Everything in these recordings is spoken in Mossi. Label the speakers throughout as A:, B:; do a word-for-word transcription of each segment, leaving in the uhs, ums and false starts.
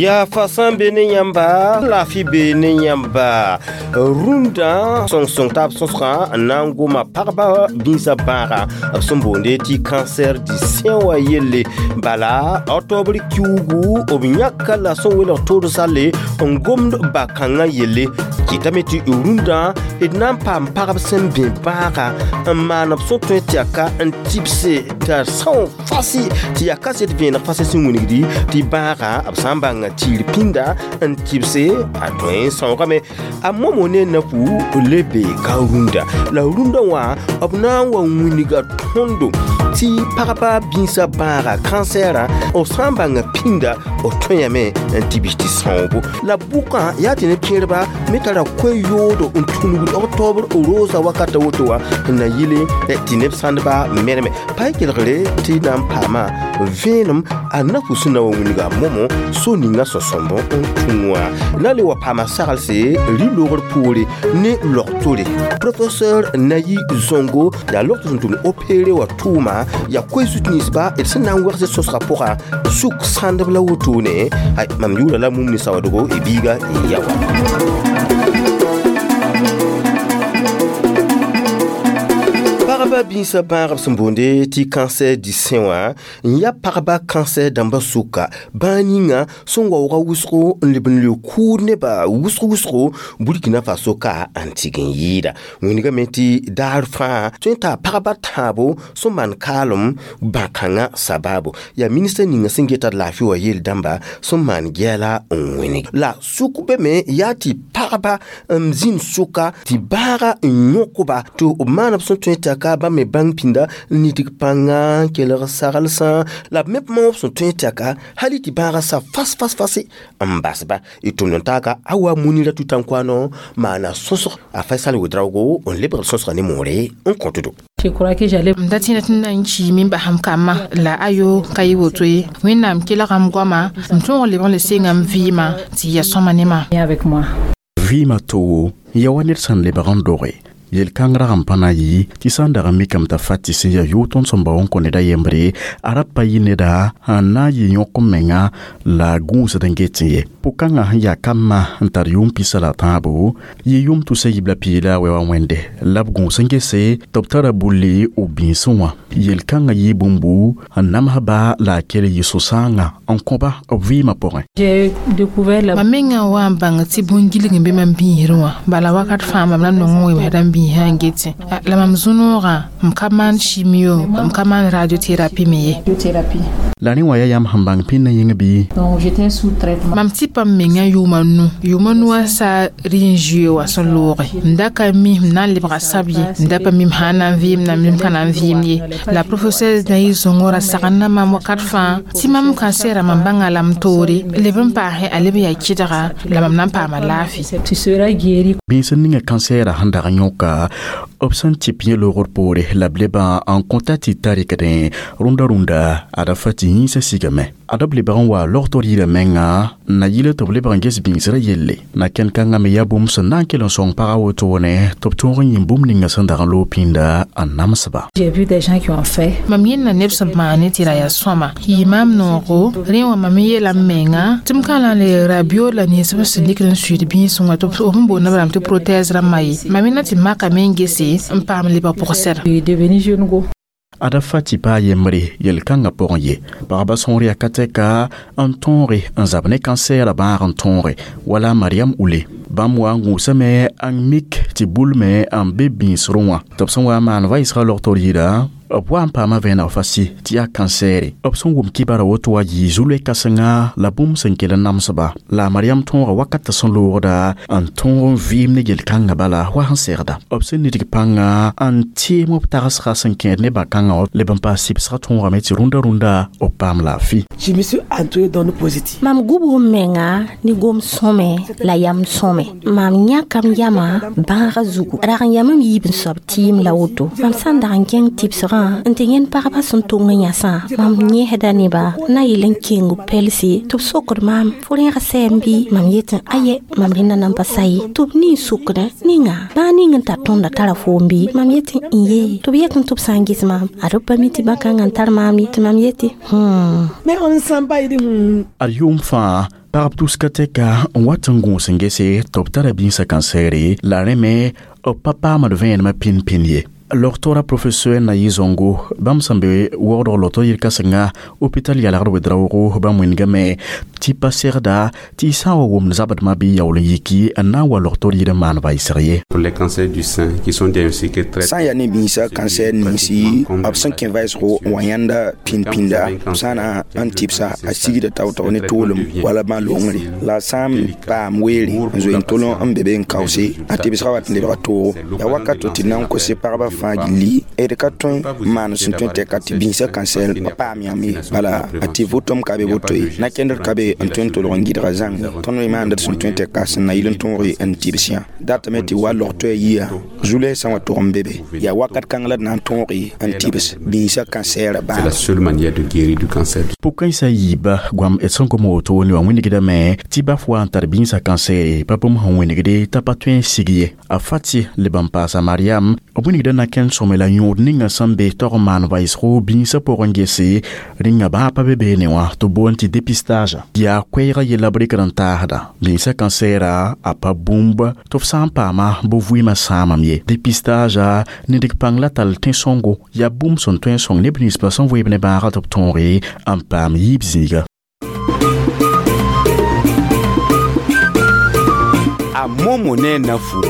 A: Ya fa sã n be ne yãmba, laafɩ be ne yãmba. Rũndã sõng-sõng taab sõsgã n na n goma pagba bĩsã bãaga b sẽn boonde tɩ cancer du sein wã yelle. Bala octobre kiuugu b yãka la sẽn welg tood salle n gomd ba-kãngã yelle. Kɩtame tɩ rũndã d na n paam pagb sẽn bẽ bãaga n maan b sẽn tõe tɩ yaa ka n tɩbse t'a são fasi tɩ yaa kaset vẽeneg fasɩ sẽn wilgdi tɩ bãaga b sã n bãng tɩɩr pĩnda n tɩbse a tõe n sãoogame. A momo ne napu le bee ka rũndã la rũndã wã b na n wa wilga tõndo tɩ pagba bĩsã bãaga kansɛɛrã b sã n bãnga pĩnda b tõeyame n tɩbs tɩ sãoobo. La bʋkã yaa tɩ neb kẽerba me tara koe-yoodo n tũnugd octobre rosa wakata woto wã n na yɩle tɩ neb sãndba merme pa y kelgre tɩ na n paama vẽenem a napu sẽn na wa wilga momo so ninga sõsõmb n tũ wã na le wa paama saglse rɩ-loogr poore ne log-tore. Professeur Nayi Zongo yaa log tɩ sẽn tʋm opere wã tʋʋma yaa koe-zut ninsba d sẽn na n wegse sõsgã pʋga suk sãndb la wotone. Ay, mam yʋʋra la mum ne sawadgo y biiga y yawa. Pagba bĩsã bãagb sẽn boonde tɩ cancer du sein wã n yaa pagba cancer dãmbã sʋka bãag ninga sẽn waooga wʋsgo n leb n leo kʋʋd nebã wʋsg wʋsgo Burkina Faso ka n tɩg n yɩɩda. Wĩnigame tɩ daar fãa tõe n taa pagba tãabo sẽn maan kaalem bã-kãngã sabaabo yaa minista ninga sẽn geta d laafɩ wã yel dãmba sẽn maan gɛɛla n wĩnig. La sʋk be me yaa tɩ pagba n zĩnd sʋka tɩ bãaga n yõkba tɩ b maan b sẽn tõe t'a ka bãmb me bãng pĩnda n nidg pãnga n kelg saglsã la b me maoob sẽn tõe tɩ ka hali tɩ bãagã sa fas fas fase n basba y tʋmd n taaka a wa Munira Tutankouano maana sõsg a Faisal Ouedraogo n lebg sõsga ne moore n kõtdo.
B: Je crois que j'allais
C: m da tẽna tɩ n na n kiime n basam kambã la ayo ka yɩ woto ye. Wẽnnaam kelgame goama m tõog n lebg n le senga m vɩɩmã tɩ ya sõma ne ma.
B: Avec moi.
D: Vɩɩmã togo ya wa ned sẽn lebg n doge yel-kãng rag n pa na yɩ tɩ sã n dag n mikame t'a fat tɩ sẽn yaa yʋʋg tõnd sẽn bao n kõ ned a yembre a ra pa yɩ neda n na n yɩ yõk n menga la a gũusd n get ye. Pʋ-kãngã sẽn yaa kambã n tar yʋʋm pisa la tãabo yɩ yʋm tusa yib la piila a wɛ wa wẽnde la b gũus n gese tɩ b tara bulli b bĩnsẽ wã. Yel-kãngã yɩ bũmbu n namsba la a kell yɩ so-sãangã n kõba b vɩɩmã pʋgẽ.
B: J'ai découvert la
C: Mam mengã wa n bãng tɩ bũn-gilg n be mam bĩisrẽ wã bala wakat fãa mam na nong n wemsda n bĩisã n getẽ. La mam zũ-noogã m ka maan chimio, m ka maan radiothérapie me ye.
B: Radiothérapie.
D: La rẽ wã yaa yãmb sẽn bãng pĩndã yĩng bɩ?
B: Donc j'étais sous traitement.
C: Mam tɩpa m mengã yʋʋma nu yʋʋma nu wã sa rɩ n zoe wã sẽn looge m da ka mi m na n lebga sab ye, m da pa mim sã n na n vɩɩm na m ka na n vɩɩm ye. La professeur Nayi Zongo ra sagenda mam wakat fãa tɩ mam kansɛɛra mam bãnga la m toore leb n paase a leb yaa kɩdga la mam na n paama laafɩ.
B: Tu seras guéri.
D: Bĩns n ninga kansɛɛrã sẽn dag n yõka b sẽn tɩp yẽ loogr poore la b lebã n kõta tɩ ta rɩkdẽ rũndã rũndã ada fa tɩ yĩnsã sigame ada b lebg n wa logtr yirã menga n na yɩl tɩ b lebg n ges bĩnsrã yelle na kẽn-kãngã me yaa bũmb sẽn na n kell n sõng pagã wotone tɩ b tõog n yĩm bũmb ninga sẽn dag n loog pĩnda n namsba.
B: J'ai vu des gens qui ont fait.
C: Mam yẽnda neb sẽn maane tɩ ra yaa sõma yɩ maam noogo rẽ wã mam yeela m menga tɩ m ka na n le rabio la ninsb sẽn dɩkd n suiid bĩisẽ wã tɩ b sẽn boonda b rãmb tɩ prothèse rãmbã ye mam na tɩ makame n gese n paam lebg pʋgsɛra.
B: Je suis devenue jeune go.
D: Ada fa tɩ pa a yembre yel-kãngã pʋgẽ ye pagba sõor yaa ka tɛka n tõoge n zab ne kansɛɛrã bãag n tõoge wala Mariam Ule bãmb wa n gũusame n mik tɩ bulme n be bĩisrẽ wã tɩ b sẽn wa n maan vaɩsgã logtr yira b wa n paama vẽeneg fasi tɩ yaa kansɛɛre b sẽn wʋm kibara woto wa yɩ zu-loe kãsenga la bũmb sẽn kell n namsba la a Mariam tõoga wakat sẽn loogda n tõog n vɩɩm ne yel-kãngã bala wa sẽn segda b sẽn nidg pãnga n tɩɩm b tagsga sẽn kẽed ne bã-kãngã leb n paas sɩbsgã tõogame tɩ rũndã rũndã b paam laafɩ.
E: Je me suis entourée d'ondes positives.
F: Mam gubg m menga ne gom sõme la yam sõme. Mam yãkam yamã bãagã zugu rag n yam m yiib n soab tɩɩm la woto mam sã n dag n kẽng tɩbsgã n tɩ yẽnd pagba sẽn tong n yãsã mam yẽsda nebã na yɩl n keng b pɛlse tɩ b sokd maam fo rẽeg sɛɛm bɩ mam yetẽ aye mam rẽnda nan pa sa ye tɩ b nin sokdẽ ninga bãag ning n tar tõnda tara foom bɩ mam yetẽ n ye tɩ b yetẽ tɩ b sã n ges maam ad b pa mi tɩ bã-kãngã n tar maam ye tɩ mam yetɩ hmm.
E: Mais on ne sent pas, il dit, hmm.
D: Ad yʋʋm fãa Pagb tuska tɛka n wat n gũus n gese tɩ b tara bĩnsã kansɛɛre la rẽ me b pa paamd vẽenemã pĩn-pĩnd ye. Logtora professeur na yɩ zongo bãmb sẽn be waoodg loto yel-kãsenga hôpital yalgd wed-raoogo bãmb wĩndgame tɩ pa segda tɩ y sã n wa wʋmd zabdmã bɩ yaool n yiki n na n wa logtor yir n maan vaɩsg ye.
G: Pour les cancers du sein qui sont diagnostiqués très
H: sã n yaa ne bĩnsã cancer ninsi b sẽn kẽ vaɩsgo n wa yãnda pĩnd-pĩnda b sã na n tɩbsa a sigda tao-tao ne toolem wala bã longre la a sã n paam weere n zoe n tol n be be n kaoose a tɩbsgã wat n lebga toogo yaa wakat tɩ d na n kose pagba fãa gilli d ka tõe n maan sẽn tõe tɛka tɩ bĩnsã cancer pa paam yãmb ye bala a tɩ vʋtʋm ka be woto ye na-kẽndr ka be n tõe n tolg n gɩdga zãng tõnd me maand d sẽn tõe tɛka sẽn na yɩl n tõog n tɩbs yã datame tɩ wa log-toɛɛ yia zu-lɛɛsã wã tog n be be yaa wakat kãng la d na n tõog n tɩbs bĩnsã cancer
G: C'est la seule manière de guérir du cancer.
D: Pʋg-kãensã yiiba goam d sẽn gom woto ne wã wĩnigdame tɩ baf wa n tar bĩnsã cancer pa bũmb sẽn wĩnigde t'a pa tõe n sig ye. A fati leb n paasa Mariam b wĩnigda na kẽnd sõme la yõod ninga sẽn be tog n maan vaɩsgo bĩnsã pʋgẽ gese rĩnga bãa pa be beene wã tɩ boond tɩ dépistage yaa koɛɛgã yella b rɩkd n taasda bĩnsã kansɛɛra a pa bũmb tɩ f sã n paama bɩ vɩɩmã sãamam ye. Dépistage nidg pãng la tall tẽ-sõngo yaa bũmb sẽn tõe n sõng neb ninsbã sẽn vɩɩb ne bãagã tɩ b tõoge n paam yiib zĩiga.
A: A momo ne na fu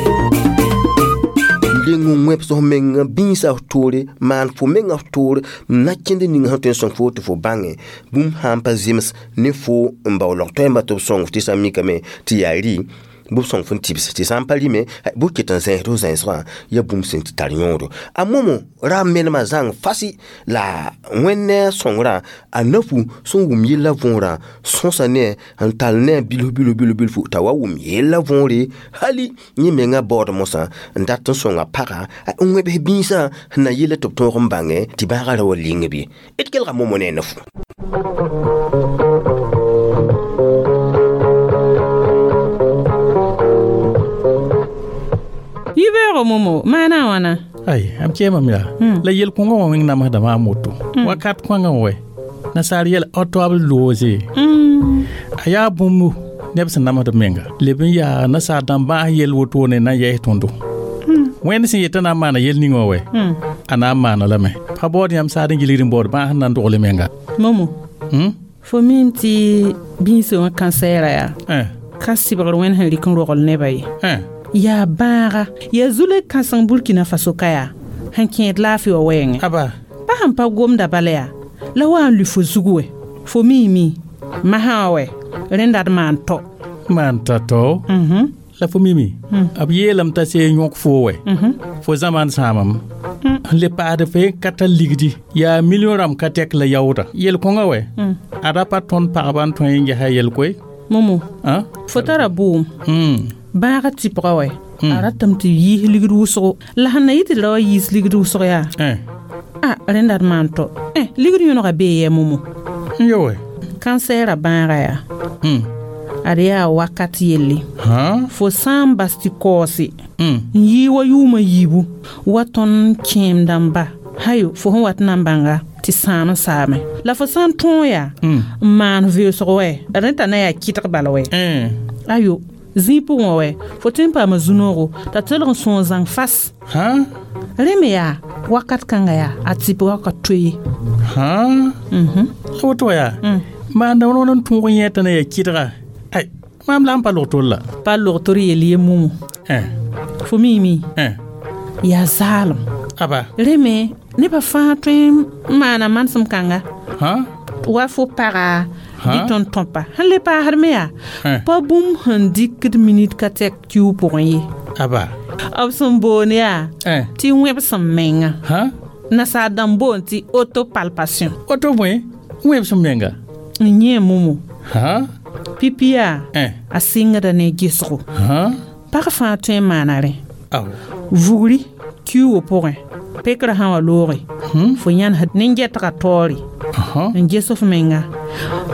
A: leng n wẽbs f menga bĩnsã f toore maan fo menga f toore n na kẽnd ning sẽn tõe n sõng fo tɩ fo bãnge bũmb sã n pa zems ne fo n bao log-toɛɛmbã tɩ b sõng f tɩ sã n mikame tɩ yaa rɩ bɩ b sõng f n tɩbs tɩ sã n pa rɩme bɩ ket n zẽesd f zẽnsgã yaa bũmb sẽn tɩ tar yõodo. A momo ra menemã zãng fasi la Wẽnd ne a sõngrã a nafu sẽn wʋm yellã võorã sõsa ne n tall ne a bilf bilf bilf bilfu t'a wa wʋm yellã võore hali yẽ mengã baood mosã n dat n sõnga pagã n wẽbs bĩnsã sẽn na yella tɩ b tõog n bãngẽ tɩ bãagã ra wa ling bɩ d kelga momo ne a nafu.
I: Yibeoogo momo maana a wãna
J: ai am kẽemame yaa la yel-kõngã wã wẽng namsda maam woto wakat kõngã wɛ nasaar yɛl autoab loose a yaa bũmb neb sẽn namsd b menga leb n yaa nasaar dãmb bãas yel wotone na n yɛs tõndo wẽnd sẽn yetã na n maana yel ning wã wɛ a na n maana lame pa baood yãmb saad n gilgd n baood bãas n na n dogle menga
I: momo fo mim tɩ bĩnsã wã kansɛɛra yaa ka sɩbgr wẽnd sẽn rɩk n rogl nebã ye yaa bãaga yaa zule kãseng Burkina Faso ka yaa sẽn kẽed laafɩ wã wɛɛngẽ
J: aba
I: pa sẽn pa gomda bala yaa la wa n lʋ fo zug wɛ fo miime masã wã wɛ rẽnda d maan tɔ
J: maan ta tao la fo mimi b yeelame t'a see yõk foo wɛ fo zãmaan sãamam n le paasd fo ka tar ligdi yaa million rãmb ka tɛk la yaooda yel-kõngã wɛ a ra pa tõnd pagba n tõe n gesa yel-koe
I: momo fo tara bʋʋm bãaga tɩpga wɛ a ratame tɩ yiis ligd wʋsgo la sẽn na yɩ tɩ d ra wa yiis ligd wʋsg yaa a rẽnda d maan tɔ ligd yõnega bee yɛ momo
J: n yo wɛ
I: kansɛɛra bãaga yaa ad yaa wakat yelle fo sã n bas tɩ kaoose n yɩɩ wa yʋʋmã yiibu wa tõnd kẽem dãmba hayo fo sẽn wat n na n bãnga tɩ sãam n saame la fo sã n tõog yaa n maan veoosg wɛ rẽ t'a na yaa kɩtg bal wɛ ayo zĩig pʋgẽ wɛ fo tõe n paama zu-noogo t'a tolg n sõog zãng fas rẽ me yaa wakat kãnga yaa a tɩpgã ka toe ye
J: la woto yaa maanda wãn n tõog n yẽ t'a na yaa kɩdga ai maam la n pa log-tor la
I: pa log-tor yel ye momo fo miime yaa zaalem
J: aba
I: rẽ me nebã fãa tõe n maana manesem kãnga wa fo paga bɩ tõnd tõpa sẽn le paasd me yaa pa bũmb sẽn dɩkd minit ka tɛk kiu pʋgẽ ye
J: aba
I: b sẽn boond yaa tɩ wẽbsem menga nasaar dãmb boond tɩ autopalpation
J: woto bõe wẽbsem menga
I: n yẽ momo pipi yaa a sɩngda ne gesgo pag fãa tõe n maana rẽ vugri kiuugã pʋgẽ pekrã sã wa looge fo yãnesd nin-gɛtgã taoore n ges f menga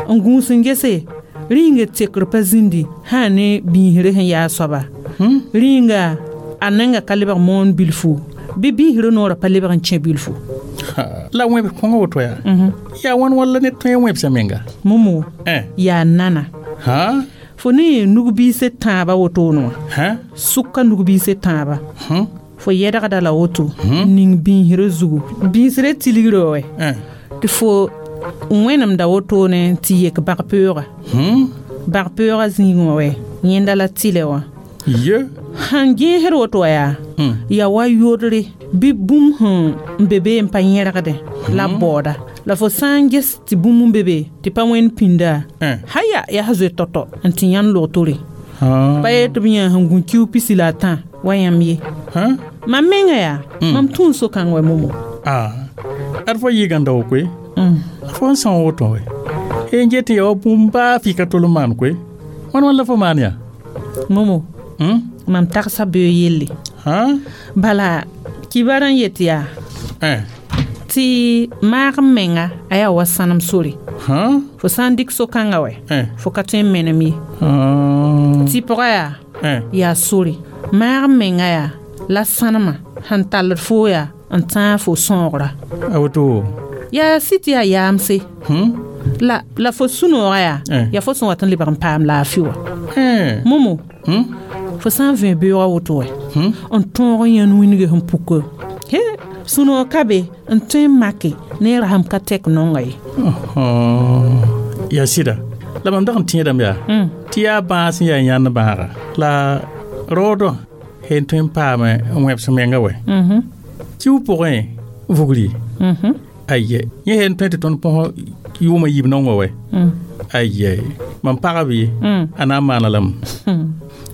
I: n gũus n gese rĩnga tekr pa zĩndi sã ne bĩisre sẽn yaa soaba rĩnga a nenga ka lebg moon bilfu bɩ bĩisrã noorã pa lebg n kẽ bilfu
J: la wẽbs kõngã woto yaa yaa wãn walla ned tõe n wẽbsa menga
I: momo yaa nana Fo ne nug-biis tãabã wotone wã sʋka nug-biis tãabã fo yɛdgda la woto ning bĩisrã zugu bĩisrã tilgrã wɛ tɩ fo wẽnemda wotone tɩ yek bag-peooga bag-peoogã zĩig wã wɛ yẽnda la tɩlɛ wã sẽn gẽesd woto wã yaa yaa wa yodre bɩ bũmb sẽn be be n pa yẽrgdẽ la baooda la fo sã n ges tɩ bũmb n be be tɩ pa wẽnd pĩnda haya yaa zoe tɔtɔ n tɩ yãnd logtore pa yeel tɩ b yã sẽn gũ kiu pisi la a tã wa yãmb ye mam menga yaa mam tũu so-kãng wɛ momo
J: ad fo yɩɩgãnda wo koe fo n são woto wɛ n get tɩ ya wa bũmb baa fɩ ka tol n maan koe wãn wãn la fo maan yaa
I: momo mam tagsa beo yelle bala kibar n yet yaa tɩ maag n menga a yaa wa sãnem sore fo sã n dɩk so-kãngã wɛ fo ka tõe n menem ye tɩ pʋga yaa yaa sore maag n menga yaa la sãnemã sẽn talled foo yaa n tãag fo sãoogra
J: a woto
I: yaa sɩ tɩ yaa yaamse la la fo sũ-noogã yaa yaa fo sẽn wat n lebg n paam laafɩ wã momo fo sã n vẽ beoogã woto wɛ n tõog n yãnd wĩnge sẽn puka he sũ-noog ka be n tõe n make ne rasem ka tɛk nonga ye
J: yaa sɩda la mam dag n tẽedame yaa tɩ yaa bãas n yaa yãnd bãaga la raoodã sẽn tõe n paame n wẽbs menga wɛ kiu pʋgẽ vugri aye yẽ sẽn tõe tɩ tõnd põs yʋʋmã yiib nongã wɛ aye mam pagb ye a na n maana lame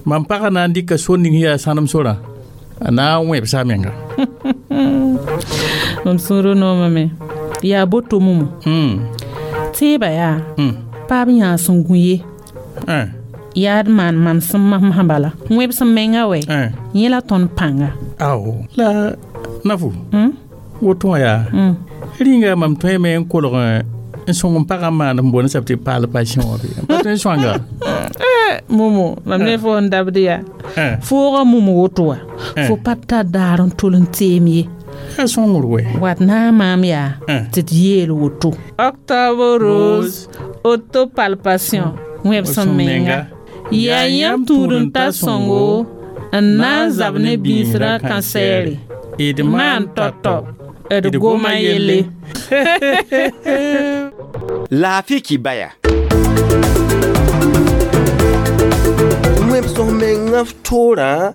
J: mam pagã na n dɩka so ning yaa sãnem sorã a na n wẽbsa a menga
I: mam sũurã noomame yaa boto momo tẽebã yaa paab yãa sẽn gũ ye yaa d maan mam sẽn masã bala wẽbs n menga wɛ yẽ la tõnd pãnga
J: ao la nafu woto wã yaa rĩnga mam tõeme n kolg n sõng n pagã n maan n boond sab tɩ palpation wã be n pa tõe n sõanga
I: momo mam ne fo n dabd yaa foogã mum woto wã fo pa tar daar n tol n teem ye
J: a sõngr wɛ
I: wat na n maam yaa tɩ d yeel woto octobre rose autopalpation wẽbs n menga yaa yãmb tũud n ta sõngo n na n zab ne bĩisrã kansɛɛre
J: d
I: maan tɔtɔ d goma yelle
A: laafɩ kibaya wẽbs menga toorã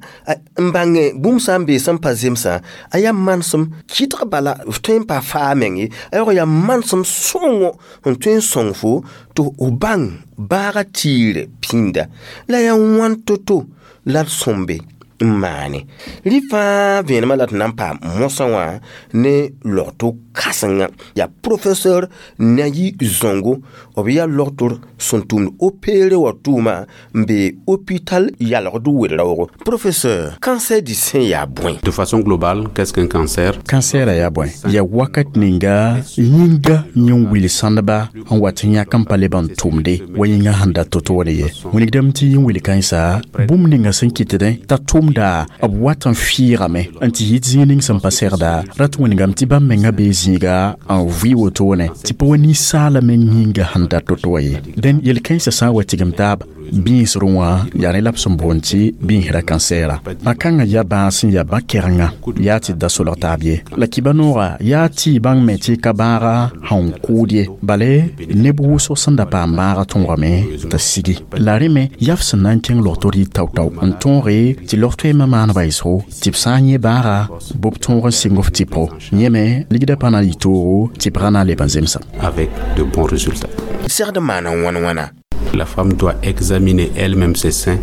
A: n bãnge bũmb sã n bee sẽn pa zemsã a yaa manesem kɩtg bala f tõe n pa faa meng ye a yaoog yaa manesem sõngo n tõe n sõng fo tɩ f bãng bãaga tiire pĩnda la yaa wãn to-to la d sõmbe n maane rɩ fãa vẽenemã la tɩ na n paam mosã wã ne logto kãsenga yaa professeur Nayi Zongo b yaa logtor sẽn tʋmd opéere wã tʋʋma n be hôpital yalgd wel-raoogo professeur cancer du sein yaa bõe
G: De façon globale, qu'est-ce qu'un cancer?
D: Cancer yaa bõe yaa wakat ninga yĩnga yẽn wil sãndba n wat n yãk n pa leb n tʋmde wa yĩnga sẽn da to-toore ye wilgdame tɩ yĩn wil kãensa bũmb ninga sẽn kɩtdẽ t'a tʋmda b wat n fɩɩgame n tɩ yit zĩig ning sẽn pa segda rat wĩnigame tɩ bãmb menga bee zĩiga n vɩ wotone tɩ pa wa ninsaala meng yĩnga sẽn da to-to wã ye dẽn yel-kãensã sã n wa tigem taaba bĩisrẽ wã yaa ne la b sẽn boond tɩ bĩisrã kansɛɛra bã-kãngã yaa bãas n yaa bã-kɛrenga yaa tɩ da solg taab ye la kiba-noogã yaa tɩ bãng me tɩ ka bãaga sẽn kʋʋd ye bale neb wʋsg sẽn da paam bãagã tõogame t'a sigi la rẽ me yaa f sẽn na n kẽng logtr yɩ tao-tao n tõoge tɩ log-toeemã maan baɩsgo tɩ b sã n yẽ bãaga bɩ b tõog n sɩng f tɩpgo yẽ me ligdã pa na n yɩ toogo tɩ b ra na n leb n zemsa
G: Avec de bons résultats.
A: Segd n maana wãn wãna
G: La femme doit examiner elle-même ses seins.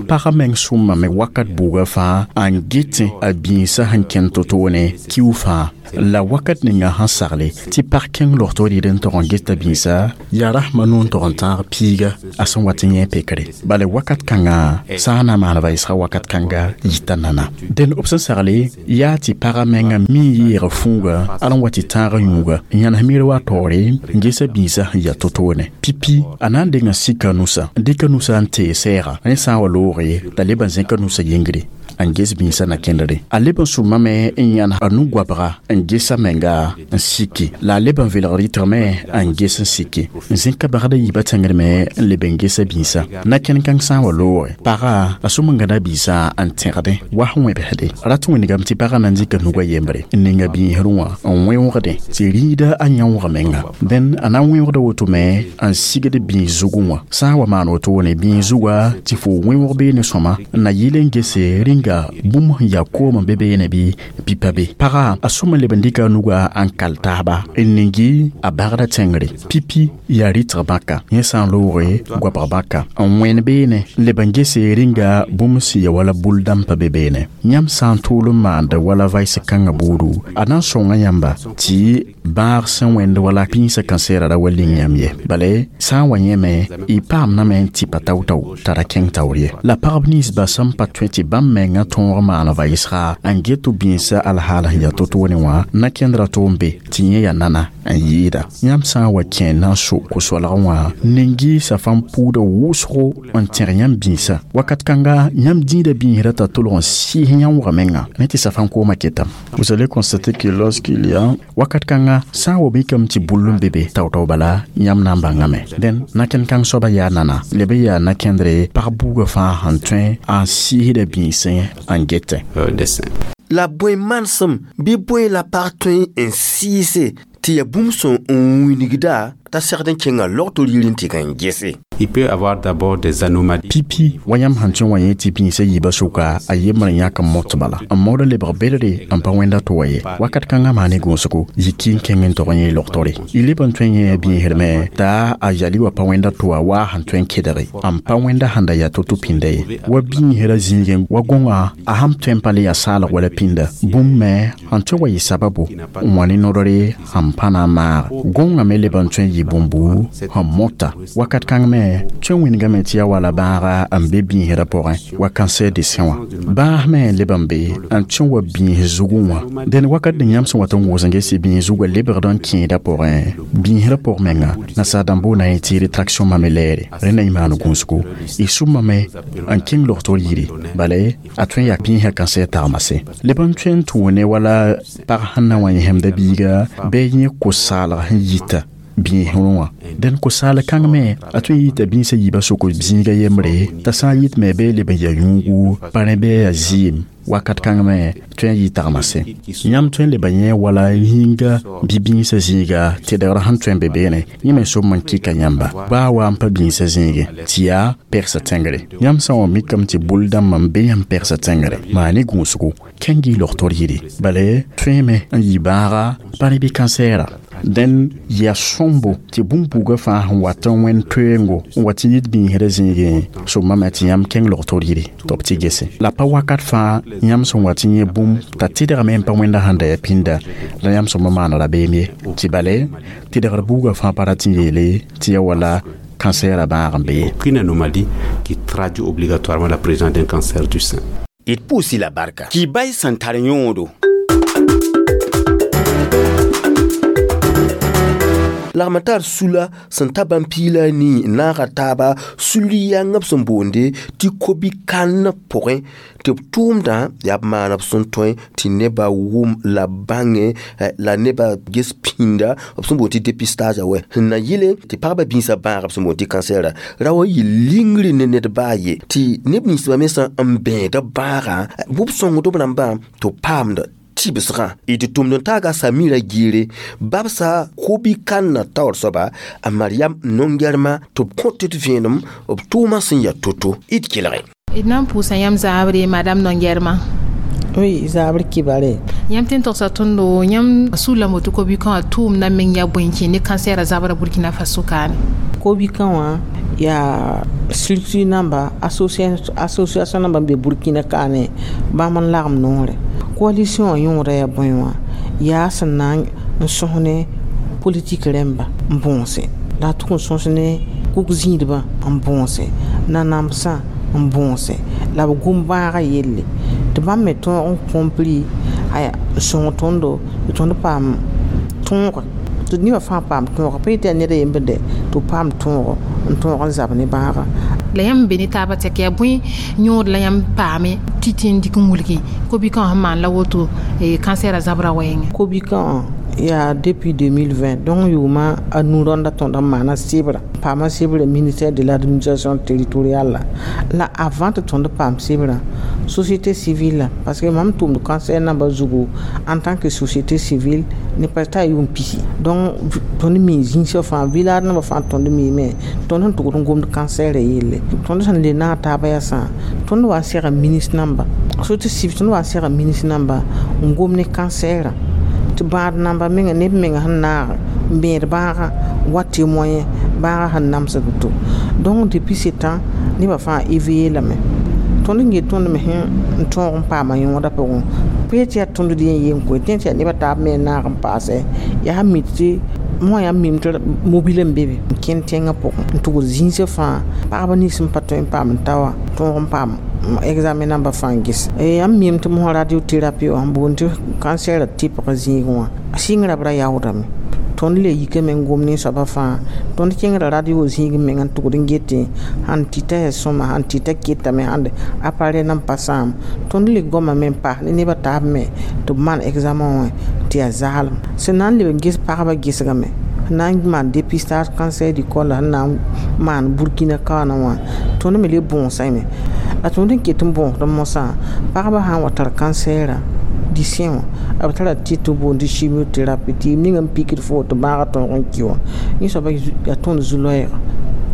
D: Pagã meng sõmame wakat buugã fãa n getẽ a bĩisã sẽn kẽnd to-toone kiu fãa la wakat ninga sẽn sagle tɩ pag kẽng logto rɩɩd n tog n geta bĩisa yaa rasmã nu n tog n tãag piiga a sẽn wat n yẽ pekre bala wakat kãngã sã n na n maan vaɩsga wakat kãnga yita nana dẽn b sẽn sagle yaa tɩ pagã menga mi n yeeg fũuga al n wa tɩ tãag yũuga n yãnes miir wa taoore n gesa bĩisã sẽn yaa to-toone pipi a na n denga sika nusa n dɩka nusa n tee sɛɛga rẽ sã n wa loog t'a leb n zẽka nusa yĩngre n ges bĩnsã na kẽndre a leb n sʋmame n yãn a nu-goabga n gesa menga n siki la a leb n velg rɩtgme n ges n siki n zẽka bagda yiibã tẽngr me n leb n gesa bĩnsã na-kẽnd kãng sã n wa looge pagã a sʋm n gãda biisã n tẽgdẽ wa sẽn wẽbsde rat wĩnigame tɩ pagã na n dɩka nugã yembre n ninga bĩisrẽ wã n wẽoogdẽ tɩ rĩida a yãoog menga dẽn a na n wẽoogda woto me n sigd bĩis zugẽ wã sã n wa maan wotone bĩis zugã tɩ fo wẽoog beene sõma n na yɩl n gese rĩnga bũmb sẽn yaa koom n be beene bɩ bɩ pa be pagã a sʋm n leb n dɩka a nugã n kal taaba n ningi a bagda tẽngre pipi yaa rɩtg bãka yẽ sã n looge goabg bãka n wẽn beene n leb n gese rĩnga bũmb sẽn ya wala bul dãmb pa be beene yãmb sã n tʋʋl n maanda wala vaɩs kãngã buudu a na n sõnga yãmba tɩ bãag sẽn wẽnd wala pĩnsã kansɛɛra ra wa ling yãmb ye bala sã n wa yẽme y paamdame n tɩ pa tao-tao t'a ra kẽng taoor ye la pagb ninsba sẽn pa tõe tɩ bãmb mengã tõog maan vaɩsga n get bĩnsã alhaal sẽn yaa to-toone wã na-kẽndrã tʋ n be tɩ yẽ yaa nana n yɩɩda yãmb sã n wa kẽ na n so ko-soalgã wã ningi safam puuda wʋsgo n tẽg yãmb bĩnsã wakat kãnga yãmb dĩida bĩisrã t'a tolg n sɩɩs yãoogã menga ne tɩ safam koomã ketame. Vous allez constater que lorsqu'il y a wakat kãnga sã n wa mikame tɩ bull n be be tao-tao bala yãmb na n bãngame dẽn na-kẽnd kãng soaba yaa nana leb n yaa na-kẽndre pag buugã fãa sẽn tõe n sɩɩsda bĩnsẽ n getẽ.
A: La bõe manesem bɩ bõe la pag tõe n sɩɩse tɩ yaa bũmb sẽn n wingda t'a segd n kẽnga log-tor yir n tɩ n gese.
G: Il peut avoir d'abord des anomalies.
D: Pipi wa yãmb sẽn tõe wã yẽ tɩ bĩnsã yiibã sʋka a yembr n yãk n mot bala n maood n lebg bedre n pa wẽnda tʋ wa ye wakat kãngã maa ne gũusgo yiki n kẽng n tog n yẽ logtore y leb n tõe n yẽ bĩisrme t'a a yali wa pa wẽnda tʋ wa waa sẽn tõe n kedge n pa wẽnda sẽn da yaa to-to pĩnda ye wa bĩisrã zĩigẽ wa gõngã a sãn tõe n pa le yaa saalg wala pĩnda bũmb me sẽn tõe wa yɩ sababu n wa ne nodre sẽn pa na n maag gõngã me leb n tõe n yɩ bũmbu sẽn mota wakat kãng me tõe n wĩnigame tɩ yaa wala bãaga n be bĩisrã pʋgẽ wa cancer de sein wã bãas me n leb n be n tõe wa bĩis zugẽ wã dẽn wakat ning yãmb sẽn wat n wʋʋs n gese bĩis zugã lebgd n kẽeda pʋgẽ bĩisrã pʋg menga nasaar-dãmb boona yẽ tɩ rétraction mame lɛɛre rẽ na y maan gũusgo y sʋmame n kẽng logtor yiri bala a tõe n yaa bĩisã cancer tagmase leb n tõe n tʋʋne wala pag sẽn na wa yẽsemda biiga bɩ yẽ ko-saalg sẽn yita bĩisrẽ wã dẽn ko-saal kãng me a tõe n yita bĩnsã yiibã sʋk zĩiga yembre t'a sã n yɩtme bɩ leb n yaa yũugu pa rẽ bɩ yaa zɩɩm wakat kãng me tõe n yɩ tagmase yãmb tõe n leba yẽ wala yĩnga bɩ bĩnsã zĩiga tɩdgr sẽn tõe n be beene yẽ me sʋm n kɩka yãmba baa wa n pa bĩnsã zĩige tɩ yaa pegsa tẽngre yãmb sã n wa mikame tɩ bʋl dãmbã n be yãmb pegsa tẽngre maa ne gũusgo kẽng y logtor yiri bala tõeme n yɩ bãaga pa rẽ bɩ kansɛɛra dẽn yaa sõmbo tɩ bũmb-buugã fãa sẽn wat n wẽnd toeengo n wa tɩ yit bĩisrã zĩigẽ sʋmame tɩ yãmb kẽng logtor yiri tɩ b tɩ gese la pa wakat fãa yãmb sẽn wa tɩ yẽ bũmb t'a tɩdgame n pa wẽnda sẽn da yaa pĩnda la yãmb sõma maan rabeem ye tɩ bale tɩdgr buugã fãa pa rat n yeele tɩ yaa wala cancer a bãag n be ye.
G: Aucune anomalie qui traduit obligatoirement la présence d'un cancer du sein.
A: D pʋʋs-y la barka kɩ bay sẽn tar yõodo lagm tar sula sẽn ta bãmb piig la a nii n naaga taaba sul-yãngã b sẽn boonde tɩ kobi-kãn pʋgẽ tɩ b tʋʋmdã yaa b maan b sẽn tõe tɩ nebã wʋm la bãngẽ la nebã ges pĩnda b sẽn boond tɩ dépistage wɛ sẽn na yɩle tɩ pagba bĩnsã bãag b sẽn boond tɩ kansɛɛra ra wa yɩ lingri ne ned baa ye tɩ neb ninsbã me sã n bẽeda bãagã bʋb sõngd b rãmbã tɩ b paamda tɩbsgã d tʋmd n taaga Samira Giire babsa kobi-kãnnã taoor soaba a Mariam nongɛrmã tɩ b kõt d vẽenem b tʋʋmã sẽn yaa to-to d kelge.
C: D na n pʋʋsa yãmb zaabre madame Nongɛrmã.
I: Oui, zabr kibare.
C: Yãmb tɩ n togsa tõndo yãmb sula moto kobi-kã wã tʋʋmdã meng yaa bõe n kẽ ne kansɛɛrã zabra Burkina Faso kaane.
I: Kobi-kã wã yaa structure namba association namba n be Burkina kaane bãmb n lagem noore. Coalition wã yõoda yaa bõe wã yaa sẽn na n sõs ne politik rẽmba n bõose la a tʋg n sõs ne kug-zĩidbã n bõose nanamsã n bõose la b gom bãagã yelle tɩ bãmb me tõog n compris aya n sõng tõndo tɩ tõnd paam tõoga tɩ nebã fãa paam tõoga pa yetɩ yaa ned a yembr dɛ tɩ b paam tõogo n tõog n zab ne bãaga.
C: La yãmb be ne taabã tɛk yaa bõe yõod la yãmb paame tɩ tɩ n dɩk n wilgi ko-bikã wã sẽn maan la woto kansɛɛrã zabra wɛɛngẽ.
I: Ko-bikã yaa depuis deux mille vingt donc yʋʋma a nu rãnda tõnd n maana sɩbrã paama sɩbrã ministère de l'administration territoriale la avant tɩ tõnd paam sɩbrã société civile parce que mam tʋmd cancer namba zugu en tant que société civile ne pa t'a yʋʋm pisi donc tõnd mi zĩnsã fãa village namba fãa tõnd miime tõnd sẽn tʋgd n gomd cancer yelle tõnd sẽn le naag taaba yasã tõnd wa n sega ministre namba société civile tõnd wa n sega ministre namba n gom ne cancer tɩ bãad namba menga neb menga sẽn naag n bẽed bãagã wa témoin bãagã sẽn namsd to donc depuis ce temps nebã fãa éveillé lame tõnd n get tõnd me sẽn n tõog n paama yõodã pʋgẽ pee tɩ yaa tõnd d yẽ yen koe tẽ tɩ yaa nebã taab me n naag n paasɛ yaa sã mi tɩ mosã yaa mim tɩ mobile n be be n kẽnd tẽngã pʋgẽ n tʋgd zĩnsã fãa pagba nins sẽn pa tõe n paam n ta wã tõog n paam examen namba fãa n ges yãmb mim tɩ mosã radiothérapie wã n boond tɩ cancer tɩpg zĩigẽ wã sɩngrã b ra yaoodame tõnd le yikame n gom nin-soabã fãa tõnd kẽngra radio zĩig meng n tʋgd n getẽ sãn tɩta yaa sõma sãn tɩta ketame sãn appareil nan pa sãam tõnd le goamame n paas ne nebã taab me tɩ b maan examen wã tɩ yaa zaalem sẽn na n leb n ges pagba gesgame sẽn na n maan dépistage cancer du col sẽn na n maan Burkina kaoona wã tõnd me le bõosame la tõnd n ket n bõosd mosã pagba sã n wa tar cancer du sein wã b tara tɩ tɩ boond tɩ chimiothérapie tɩ yem ning n pikd fo tɩ bãagã tõog n kɩ wã yẽ soaba yaa tõnd zu-loɛɛga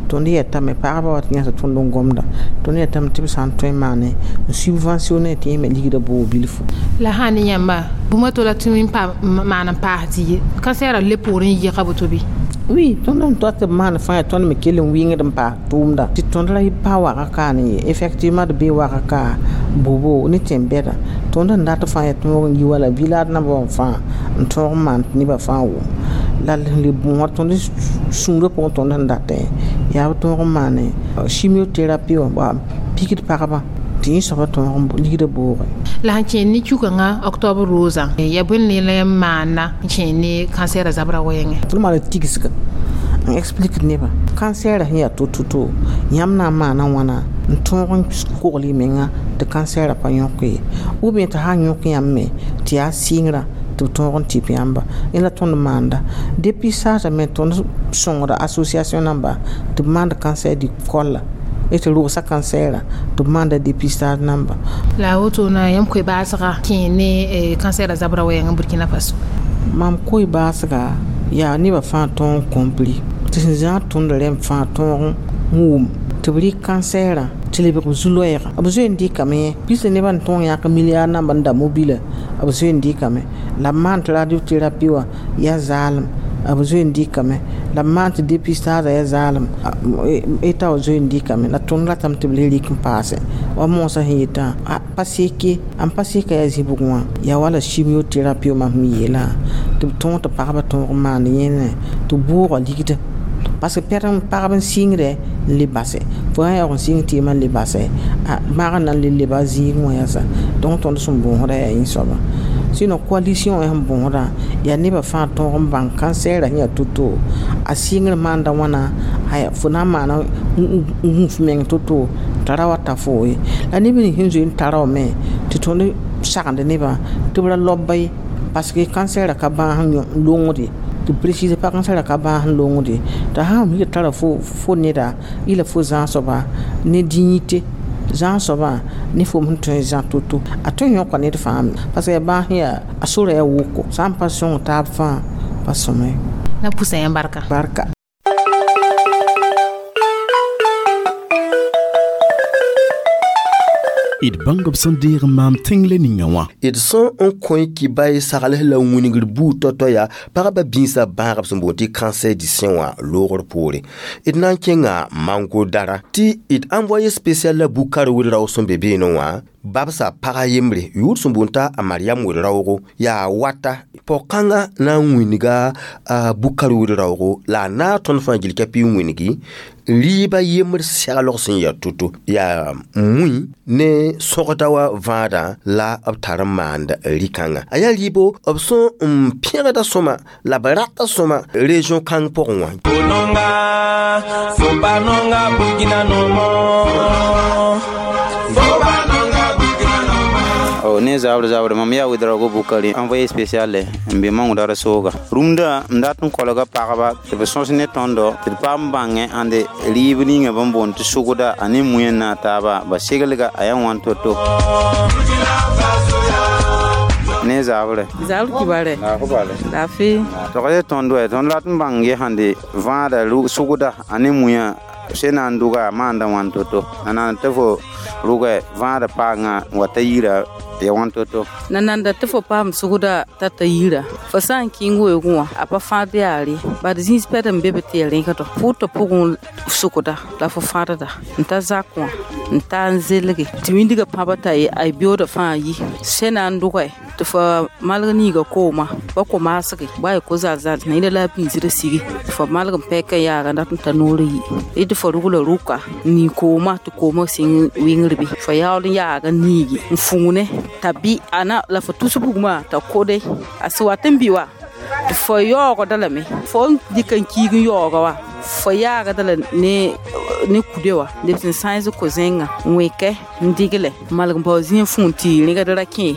I: tõnd yetame pagba wa tɩ yãs tõnd n gomda tõnd yetame tɩ b sã n tõe n maane n subventionné tɩ yẽ me ligda boog bilfu.
C: La sã ne yãmba bũmb to la tɩ n pa maan n paas tɩ ye kansɛɛrã le poorẽ n yɩga boto bɩ?
I: Oui, tõnd n tot tɩ b maan fãa yaa tõnd me kell n wɩngd n paas tʋʋmda tɩ tõnd ra pa waga ka ne ye effectivement d bee waga ka bobo ne tẽn-bɛda tõnd n dat fãa yaa tõog n yi wala village namba wã fãa n tõog n maan tɩ nebã fãa wʋm la le bõor tõnd sũurã pʋgẽ tõnd sẽn datẽ yaa b tõog n maane chimiothérapie wã pikd pagba tɩ yẽ soaba tõog n ligda boogẽ.
C: La sẽn kẽer ne kukãngã octobre rosã yaa bõe ne la yãmb maana n kẽer ne kansɛɛrã zabra wɛɛngẽ?
I: Tõnd maan tigsga n explique nebã cancer sẽn yaa to-to-to yãmb na n maana wãna n tõog n kogl y menga tɩ cancer pa yõk ye ou bien tɩ sã n yõk yãmb me tɩ yaa sɩngrã tɩ b tõog n tɩp yãmba yẽ la tõnd maanda dépistage me tõnd sõngda association namba tɩ b maand cancer du col tɩ rogsa cancer tɩ b maanda dépistage namba.
C: La woto na yãmb koe baasga kẽer ne cancer zabra wɛɛngẽ Burkina Faso?
I: Mam koe baasga yaa nebã fãa tõog n compris tɩ sẽn zãag tõnd rẽmb fãa tõog n wʋm tɩ b rɩk cancer tɩ lebg b zu-loɛɛga b zoe n dɩkame pis nebã n tõog yãk milliard namba n da mobila b zoe n dɩkame la b maan tɩ radiothérapie wã yaa zaalem b zoe n dɩkame la b maan tɩ dépistage yaa zaalem eta wã zoe n dɩkame la tõnd ratame tɩ b le rɩk n paase wa moosã sẽn yetã pa seke n pa seka yaa zĩbg wã yaa wala chimiothérapie mam sẽn yeelã tɩ b tõog tɩ pagba tõog n maand yẽne tɩ boogã ligda parce que pɛd n pagb n sɩngdɛ n le basɛ fo sã yaoog n sɩng tɩɩmã n le basɛ bãag na n le leba zĩig wã yasa donc tõnd sẽn bõosda yaa yẽ soaba sinon coalition sẽn bõosdã yaa nebã fãa tõog n bãng cancer sẽn yaa to-to a sɩngr maanda wãna fo na n maana n gũ f meng to-to t'a ra wa ta foo ye la neb nins sẽn zoe n tara wame tɩ tõnd sagend nebã tɩ b ra lob ye parce que cancer ka bãas n longde tɩ précise pa cancer ka bãas n longde t'a sã n tara fo fo neda y la fo zãag soaba ne dignité zãag soabã ne fo sẽn tõe n zã to-to a tõe n yõka ned fãa parce que bãas yaa a sora yaa woko sã n pa sõng taab fãa pa sõma ye.
C: La pʋsa yãmb barka.
I: Barka.
D: D bãng b sẽn deeg n maam tẽng le ninga wã.
A: D sẽn n kõ kibay sagls la wingr buud tao-tao yaa pagba bĩnsã bãagb sẽn boond tɩ cancer du sein wã loogr poore. D na n kẽnga Mango dara tɩ d envoyé spécial la Bukar Ouedraogo sẽn be beene wã Babsa pagã yembre yʋʋr sẽn boond t'a a Mariam wed-raoogo yaa wata pɔg-kãngã na n wĩnga a Bukar wed-raoogo la a naag tõnd fãa gill ka pɩ n wĩngi rɩɩbã yembr seglg sẽn yaa to-to yaa mui ne sõgda wa vãadã la b tar n maand rɩ-kãngã a yaa rɩɩbo b sẽn n pẽgda sõma la b rata sõma région kãng pʋgẽ wã.
K: Oh, ne zabr zabr mam yaa Ouedraogo Bukari envoyé spécial n be mangdara sooga rũndã m dat n kolga pagba tɩ b sõs ne tõndo tɩ d paam bãngẽ ãnde rɩɩb ninga bãmb boond tɩ sʋgda a ne mũyã na taaba ba seglga a yaa wãn to-to ne zabre
I: zabr kibare lafi
K: tɔgd tõnd wɛ tõnd rat n bãng ye sãnde vãada sʋgda a ne mũyã sẽn na n dʋga a maanda wãn to-to a nan tɩ fo rʋgɛ vãada paangã n wa ta yira ya wãn to-to
I: nananda tɩ fo paam sʋgda t'a ta yira fo sã n kẽng weoogẽ wã a pa fãad yaare bad zĩis pɛd n be be tɩ ya rẽkdɔ pʋʋtã pʋgẽ sʋgda la fo fãadda n ta zak wã n ta n zelge tɩ wĩndgã pãba t'a a beoodã fãa yi sẽn na n dʋgɛ tɩ fo malg niiga kooma pa ko-maasge ba ya ko-zal-zal na yẽla la a biisdã sigi tɩ fo malg n pɛk n yaaga n dat n ta noorã yi tɩ fo rugla rʋka n nii kooma tɩ kooma sɩng wɩngr bɩ fo yaool n yaaga n niigi n fũune t'a bɩ ana la fo tus bugmã t'a kode a sẽn wat n bɩ wa tɩ fo yaoogda lame fo n dɩk n kiig n yaooga wa fo yaagda la ne ne kude wa leb sẽn sãens ko-zẽngã n wẽkɛ n digle malg n bao zĩig fũun tɩ rẽgd ra kẽ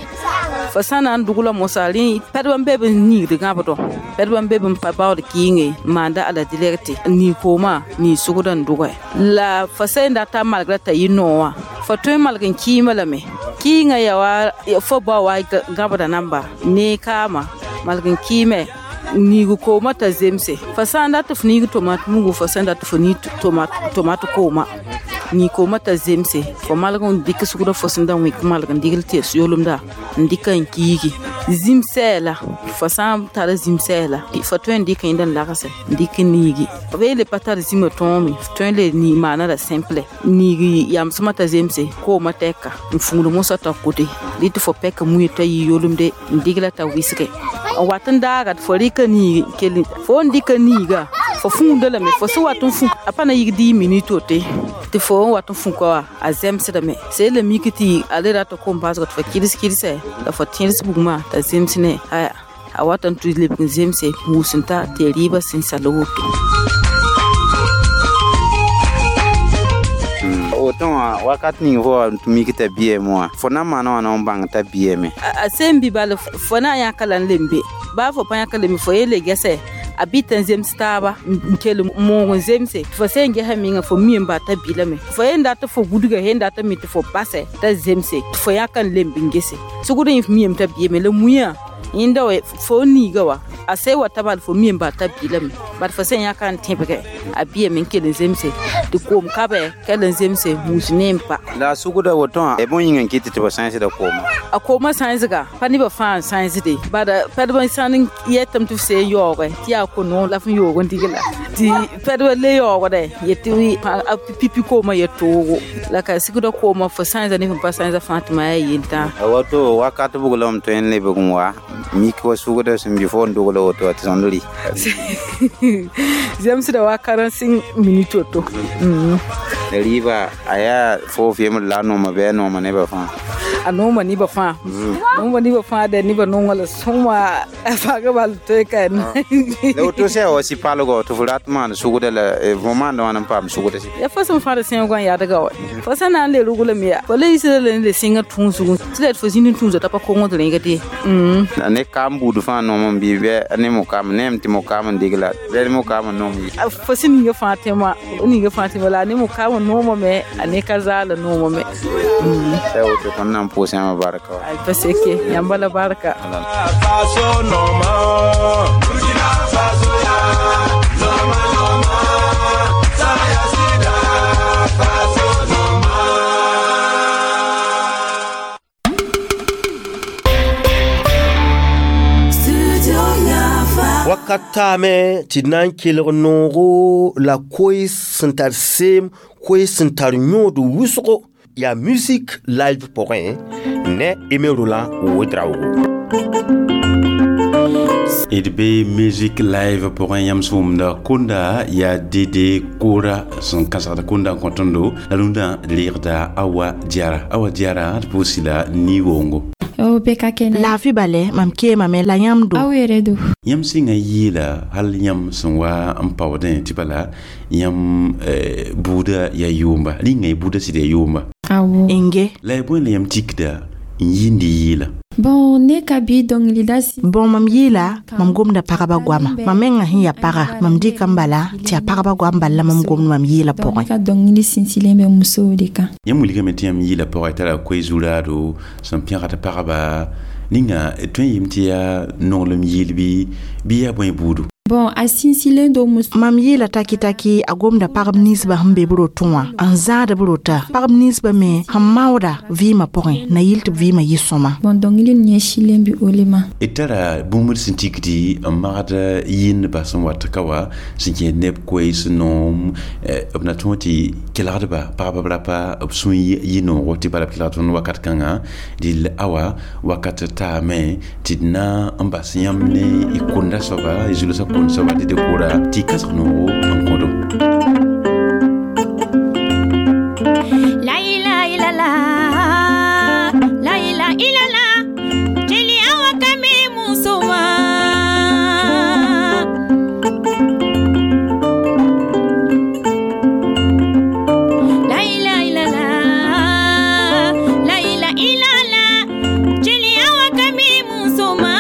I: fo sã na n dʋgla mosa rẽ pɛdb n be b niigd gãbdɔ pɛdb n be b n pa baood kɩɩnge n maanda a la direkte n nii koomã nii sʋgd n dʋgɛ la fo sẽn dat t'a malgra t'a yɩ noog wã fo tõe n malg n kɩɩmã lame kɩɩngã yaa wa fo bao wa gãbda namba ne kaama malg n kɩɩme niig kooma t'a zemse fo sã n dat tɩ f niig tomat mugu fo sẽn dat tɩ fo niig tomat kooma nii kooma t'a zemse fo malg n dɩk sugda fo sẽn da wẽk malg n dɩgl tɩ ya soolmda n dɩk n kiigi zĩm sɛɛla fo sã n tara zĩm sɛɛla fo tõe n dɩk yẽnd n lagse n dɩk n niigi b le pa tar zĩmã tõome f tõe n le nii maana la simple niigi yamsmã t'a zemse kooma tɛka n fũud mosã t'a kote dɩ tɩ fo pɛka muye t'a yɩ yolemde n dɩgla t'a wɩsge n wat n daaga fo rɩka niigi kell fo n dɩka niiga fo fũunda lame fo sẽn wat n fũ a pa na yik dix minute wote tɩ fo n wat n fũka wa a zemsdame sẽn la mik tɩ a le rat kom baasg tɩ fo kɩds kɩdse la fo tẽeds bugmã t'a zems ne aya a wat n tʋ lebg n zemse wʋsẽ ta tɩ ya rɩɩbã sẽn sal woto.
K: Woto wã wakat ning fo mik t'a biɛɛme wã fo na n maana wã na n bãng t'a biɛɛme
I: a sẽn bɩ bal fo na n yãka la n lembe baa fo pa yãka lembe fo ye le gɛsɛ a bɩ tɩ n zems taaba n kell moog n zemse fo sẽn gɛsã menga fo mi n ba t'a bilame fo yen dat fo gudga yen dat mi tɩ fo basɛ t'a zemse tɩ fo yãka n lemb n gese sugd yẽ f miame t'a biame la muiã yẽnda wa fo niiga wa a sã wa ta bal fo mi n ba t'a bilame bad fo sẽn yãka n tẽbgɛ a biame n kell n zemse tɩ koom kabɛ kell n zemse wũus ne n pa
K: la a sugda woto wã b yĩng n kɩt tɩ b sãensda kooma
I: a koomã sãensga pa nebã fãa n sãensde bad pɛdb n sãn n yɛtame tɩ f see n yaoogɛ tɩ yaa ko-noog la f n yoog n digla tɩ pɛdbã le yaoogdɛ yetɩ a pipi koomã ya toogo la ka sigda koomã fo sãensa ne fẽn pa sãensa fãa tɩ maa yaa yentã
K: a woto wakat buglame tõe n lebg n wa mik wa sugda sẽn bɩ fo n dogla woto tɩ tõnd rɩ
I: zemsda wa quarante-cinq minutes woto
K: rɩɩba a yaa fo f yembr la a nooma bɩ a nooma nebã fãa
I: a nooma nebã fãa nooma nebã fãa dɛ nebã noongã la sõma a faaga bal tõe ka
K: la woto sã wa sɩ-palgɔ tɩ fo rat maan sugda la fo maanda wãn n paam sugda sɩ
I: ya fo sẽn fãad sẽoogã n yadga wa fo sã na n le ruglame ya fo le yisda la ne le sẽngã tũusgu tɩ la d fo zĩnd n tũusa t'a pa kongd rẽgd ye
K: la ne kaam buud fãa noom n bɩ bɩ ne mokaam neem tɩ mokaam n degla bɩ mokaam n noom
I: fo sẽn ninga fãa tẽma ninga fãa tẽma la a ne mokaam noomame a ne ka zaala noomame
K: la woto tõnd na n pʋʋs yãmba barka wa
I: pa seke yãmba la barka
A: wakat taame tɩ d na n kelg noogo la koe sẽn tar seem koe sẽn tar yõod wʋsgo Yaa musique live pʋgẽ ne Aimé Roland Ouedraogo.
G: D be musique live pʋgẽ yãmb sẽn wʋmda kʋnda yaa Dede Kora sẽn kãsgd kʋnda n kõ tõndo la rũndã reegda Awa Diara. Awa Diara d pʋʋsi la ni-woongo.
L: O bɛɛ ka kɛnɛ.
I: Laafɩ bale mam keemame la yãmb do.
L: Aw yɛrɛ do.
G: Yãmb sɩngã yɩɩla hal yãmb sẽn wa n paoodẽ tɩ bala yãmb buudã yaa yʋʋmba rĩnga y buudã sɩd yaa yʋʋmba.
L: Awɔ.
I: Nge.
G: La y bõe la yãmb tikda n yĩnd yɩɩla?
L: Bon, ne ka bi dɔnkilida si.
I: Bon, mam yɩɩla mam gomda pagba goama. Mam menga sẽn yaa paga mam dɩka n bala tɩ yaa pagba goam bal la mam gomd mam yɩɩla pʋgẽ.
L: Ka dɔnkili sinsilen bɛ musow de kan.
G: Yãmb wilgame tɩ yãmb yɩɩla pʋgẽ tara koe-zuraado sẽn pẽgd pagba ninga tõe n yɩm tɩ yaa nonglem yɩɩl bɩ bɩ yaa bõe buudu?
L: Bon, a sinsilen do muso.
I: Mam yɩɩla taki taki a gomda pagb ninsbã sẽn be b rotẽ wã n zãad b rota pagb ninsbã me sẽn maooda vɩɩmã pʋgẽ na yɩl tɩ b vɩɩmã yɩ sõma.
L: Bon, dɔnkili ɲɛsilen bɛ o le ma.
G: D tara bũmb sẽn tikdi n magd yɩndba sẽn wat ka wa sẽn kẽed neb koees noom b na tõog tɩ kelgdba pagba b rapa b sũ yɩ noogo tɩ bala b kelgd tõnd wakat kãngã dɩl awa wakat taame tɩ d na n bas yãmb ne y kʋnda soaba y zulsã kʋnd soaba Dede Kora tɩ kãsg noogo n kõdo.
M: La ilaha illallah, la ilaha illallah, jeli awa kame musoma. La ilaha illallah, la ilaha illallah, jeli awa kame musoma.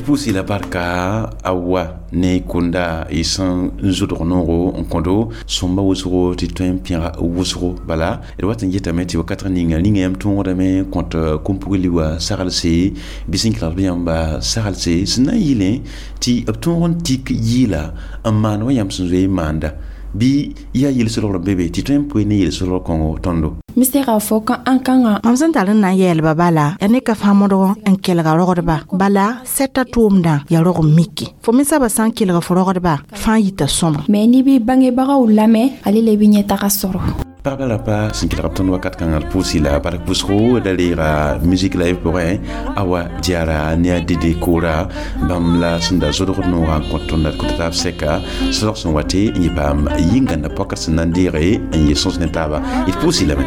G: Pusi la barka awa ne kunda y sẽn n zʋdg noogo n kõdo sõmba wʋsgo tɩ tõe n pẽga wʋsgo bala d wat n yetame tɩ wakat ninga ninga yãmb tõogdame kõt kom-pugli wa saglse bɩ sẽn kelgd bɩ yãmba saglse sẽn na n yɩlẽ tɩ b tõog n tik yɩɩla n maan wa yãmb sẽn zoe n maanda bɩ yaa yel-solgr n be be tɩ tõe n poe ne yel-solgr kõngo tõndo.
L: N bɛ se k'a fɔ ko an kan ka.
I: Mam sẽn tar n na n yɛɛlba bala yaa ne ka fãa modg n kelga rogdba bala sɛta tʋʋmdã yaa rog n miki fo me saba sã n kelg fo rogdba fãa yita sõma.
L: Mais n'i b'i bangebagaw lamɛn ale le bɛ ɲɛtaga sɔrɔ.
G: Pagba rapa sẽn kelg b tõnd wakat kãngã d pʋʋsi la bark pʋsgo da reega musique live pʋgẽ Awa Diara ne a Dede Kora bãmb la sẽn da zodgd noogã n kõt tõnd d kõt taab sɛka solg sẽn wate n yɩ paam yĩngãnda pɔkd sẽn na n deege n yɩ sõs ne taaba d pʋʋsi lame.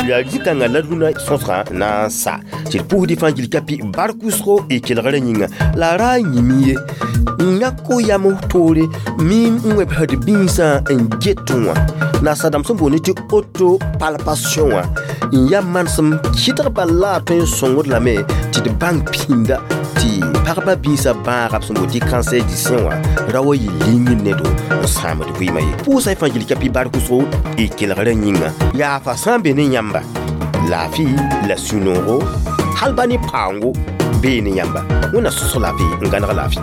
A: Yaa zĩ-kãngã la rũnã sõsgã na n sa tɩ d pʋʋsdɩ fãa gil kapi bark wʋsgo y kelgrã yĩnga la a ra n yĩm ye n yãk o yam toore miim n wẽbsd biisã n get wã nasadãmb sẽn boond tɩ auto-palpation wã n yaa manesem kɩdg bal la a tõe n sõngd lame tɩ d bãng pĩnda tɩ pagba biisã bãaga b sẽn boond tɩ cancer du sein wã ra wa yɩ lingr nedo n sãamd vɩɩmã ye pʋʋsa y fãa gil kapi bark wʋsgo y kelgrã yĩnga yaa fa sã n be ne yãmba laafɩ la sũ-noogo hal ba ne paoongo bee ne yãmba wẽnna sõsg laafɩ n gãneg laafɩ.